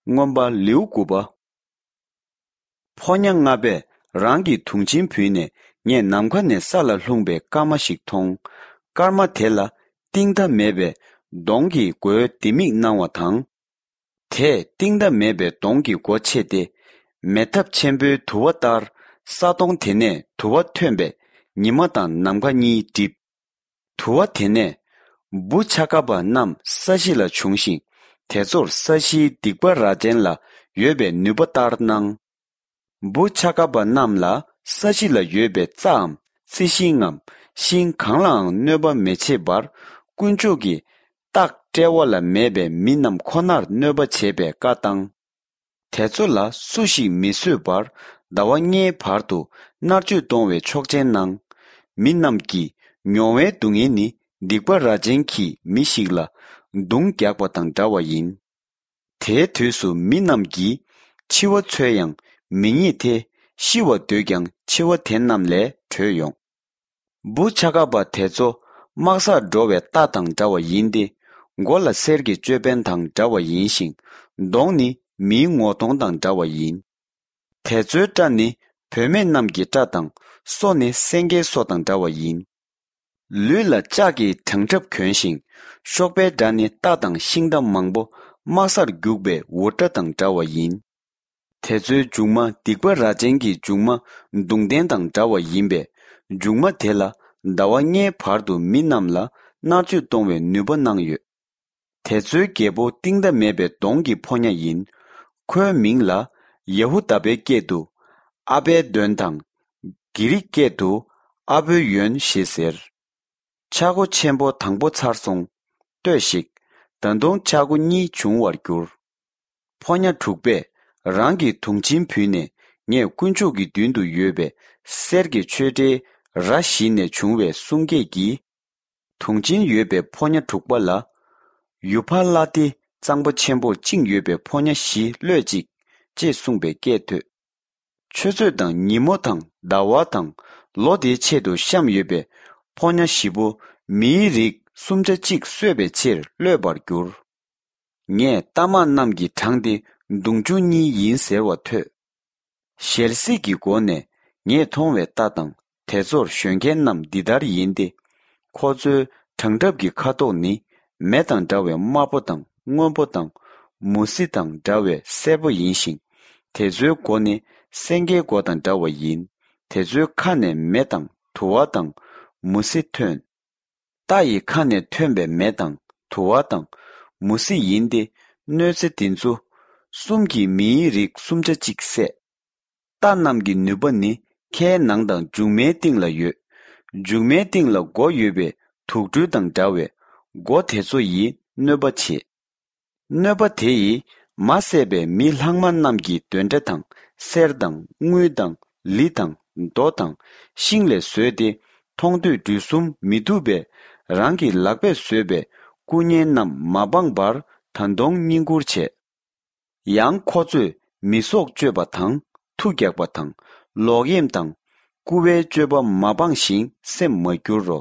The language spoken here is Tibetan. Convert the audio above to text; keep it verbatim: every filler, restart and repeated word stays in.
མངོན་པ་ལེའུ་དགུ་པ། ཕོ་ཉ་ལྔ་པས་རང་གི་དུང་ཆེན་བུད་ནས་ངས་ནམ་མཁའ་ནས་ས་ལ་ལྷུང་པའི་སྐར་མ་ཞིག་མཐོང་། སྐར་མ་དེ་ལ་གཏིང་མཐའ་མེད་པའི་གདོང་གི་མགོའི་ལྡེ་མིག་སྣང་བ་དང་། དེས་གཏིང་མཐའ་མེད་པའི་གདོང་གི་སྒོ་ཕྱེ་སྟེ། མེ་ཐབ་ཆེན་པོའི་དུ་བ་ལྟར་ས་དོང་དེ་ནས་དུ་བ་ཐོན་པས་ཉི་མ་དང་ནམ་མཁའ་གཉིས་བསྒྲིབས། དུ་བ་དེ་ནས་བུ་ཆ་ག་པ་རྣམས་ས་གཞི་ལ་བྱུང་ཞིང་། དེ་ཚོར་ས་གཞིའི་སྡིག་པ་རྭ་ཅན་ལ་ཡོད་པའི་ནུས་པ་ལྟར་སྣང་། བུ་ཆ་ག་པ་རྣམས་ལ་ས་གཞི་ལ་ཡོད་པའི་རྩྭའམ་རྩི་ཤིང་ངམ་ཤིང་གང་ལའང་གནོད་པ་མི་བྱེད་པར། དཀོན་མཆོག་གིས་སྟག་དཔྲལ་བ་ལ་མེད་པའི་མི་རྣམས་ཁོ་ནར་གནོད་པ་བྱེད་པའི་བཀའ་བཏང་། དེ་ཚོ་ལ་སུ་ཞིག་མི་གསོད་པར་ཟླ་བ་ལྔའི་བར་དུ་མནར་གཅོད་གཏོང་བའི་ཆོག་མཆན་གནང་། མི་རྣམས་ཀྱིས་མྱོང་བའི་སྡུག་བསྔལ་ནི་སྡིག་པ་རྭ་ཅན་གྱིས་མི་ཞིག་ལ་མདུང་རྒྱག་པ་དང་འདྲ་བ་ཡིན། དེའི་དུས་སུ་མི་རྣམས་ཀྱིས་འཆི་བ་འཚོལ་ཡང་མི་རྙེད་དེ། ཤི་བར་འདོད་ཀྱང་འཆི་བ་དེ་རྣམས་ལས་བྲོས་ཡོང་། བུ་ཆ་ག་པ་དེ་ཚོ་དམག་སར་འགྲོ་བའི་རྟ་དང་འདྲ་བ་ཡིན་ཏེ། མགོ་ལ་གསེར་གྱི་ཅོད་པན་དང་འདྲ་བ་ཡིན་ཞིང་། གདོང་ནི་མིའི་ངོ་གདོང་དང་འདྲ་བ་ཡིན། དེ་ཚོའི་སྐྲ་ནི་བུད་མེད་རྣམས་ཀྱི་སྐྲ་དང་། སོ་ནི་སེང་གེའི་སོ་དང་འདྲ་བ་ཡིན། ལུས་ལ་ལྕགས་ཀྱི་བྲང་ཁྲབ་གྱོན་ཞིང་། གཤོག་པའི་སྒྲ་ནི་རྟ་དང་ཤིང་རྟ་མང་པོ་དམག་སར་རྒྱུག་པའི་འུར་སྒྲ་དང་འདྲ་བ་ཡིན། དེ་ཚོའི་མཇུག་མ་སྡིག་པ་རྭ་ཅན་གྱི་མཇུག་མ་མདུང་ལྡན་དང་འདྲ་བ་ཡིན་པས། མཇུག་མ་དེ་ལ་ཟླ་བ་ལྔའི་བར་དུ་མི་རྣམས་ལ་མནར་གཅོད་གཏོང་བའི་ནུས་པ་གནང་ཡོད། དེ་ཚོའི་རྒྱལ་པོ་གཏིང་མཐའ་མེད་པའི་གདོང་གི་ཕོ་ཉ་ཡིན། ཁོའི་མིང་ལ་ཡ་ཧུ་དཱ་པའི་སྐད་དུ་ཨ་བེ་དོན་དང་། གྷི་རིག་སྐད་དུ་ཨ་བོ་ཡོན་ཞེས་ཟེར། ཆག་སྒོ་ཆེན་པོ་དང་པོ་ཚར་སོང་། ལྟོས་ཤིག། ད་དུང་ཆག་སྒོ་གཉིས་འབྱུང་བར་འགྱུར། ཕོ་ཉ་དྲུག་པས་རང་གི་དུང་ཆེན་བུད་ནས་ངས་དཀོན་མཆོག་གི་མདུན་དུ་ཡོད་པའི་གསེར་གྱི་ཆོས་འབྲེལ་ར་བཞི་ནས་བྱུང་བའི་གསུང་སྐད་ཀྱིས། དུང་ཆེན་ཡོད་པའི་ཕོ་ཉ་དྲུག་པ་ལ། ཡུ་ཕ་ལ་ཏི་གཙང་པོ་ཆེན་པོར་བཅིངས་ཡོད་པའི་ཕོ་ཉ་བཞི་གློད་ཅིག། ཅེས་གསུངས་པའི་སྐད་ཐོས། ཆུ་ཚོད་དང་ཉིན་མོ་དང་ཟླ་བ་དང་ལོ་དེའི་ཆེད་དུ་བཤམས་ཡོད་པའི་ཕོ་ཉ་བཞི་པོ་མིའི་རིགས་སུམ་ཆ་གཅིག་གསོད་པའི་ཕྱིར་གློད་པར་འགྱུར། ངས་རྟ་དམག་རྣམས་ཀྱི་གྲངས་དེ་མདུང་ཆུང་གཉིས་ཡིན་ཟེར་བ་ཐོས། ཞལ་གཟིགས་ཀྱི་སྒོ་ནས་ངས་མཐོང་བའི་རྟ་དང་དེ་ཚོར་ཞོན་མཁན་རྣམས་འདི་ལྟར་ཡིན་ཏེ། ཁོ་ཚོའི་བྲང་འགྲམ་གྱི་ཁ་དོག་ནི་མེ་དང་འདྲ་བའི་དམར་པོ་དང་སྔོན་པོ་དང་། མུ་ཟི་དང་འདྲ་བའི་སེར་པོ་ཡིན་ཞིང་། དེ་ཚོའི་མགོ་ནི་སེང་གེའི་མགོ་དང་འདྲ་བ་ཡིན། དེ་ཚོའི་ཁ་ནས་མེ་དང་དུ་བ་དང་མུ་ཟི་ཐོན། རྟ་ཡི་ཁ་ནས་ཐོན་པའི་མེ་དང་དུ་བ་དང་མུ་ཟི་ཡིན་ཏེ། གནོད་འཚེ་དེ་ཚོ་གསུམ་གྱིས་མིའི་རིགས་སུམ་ཆ་གཅིག་བསད། རྟ་རྣམས་ཀྱི་ནུས་པ་ནི་ཁའི་ནང་དང་མཇུག་མའི་སྟེང་ལ་ཡོད། མཇུག་མའི་སྟེང་ལ་མགོ་ཡོད་པའི་དུག་སྦྲུལ་དང་འདྲ་བས་མགོ་དེ་ཚོ་ཡིས་གནོད་པ་བྱེད། གནོད་པ་དེ་ཡིས་མ་བསད་པའི་མི་ལྷག་མ་རྣམས་ཀྱི་གདོན་འདྲེ་དང་གསེར་དང་དངུལ་དང་ལི་དང་རྡོ་དང་ཤིང་ལས་བཟོས་ཏེ། མཐོང་ཐོས་འབྲུ་གསུམ་མི་ཐུབ་པས་རང་གི་ལག་པས་བཟོས་པའི་སྐུ་བརྙན་རྣམས་མ་སྤངས་པར་ད་དུང་བསྙེན་བཀུར་བྱས། ཡང་ཁོ་ཚོས་མི་སྲོག་གཅོད་པ་དང་མཐུ་རྒྱག་པ་དང་ལོག་གཡེམ་དང་རྐུ་བའི་སྤྱོད་པ་མ་སྤངས་ཤིང་སེམས་མ་སྐྱུར་རོ།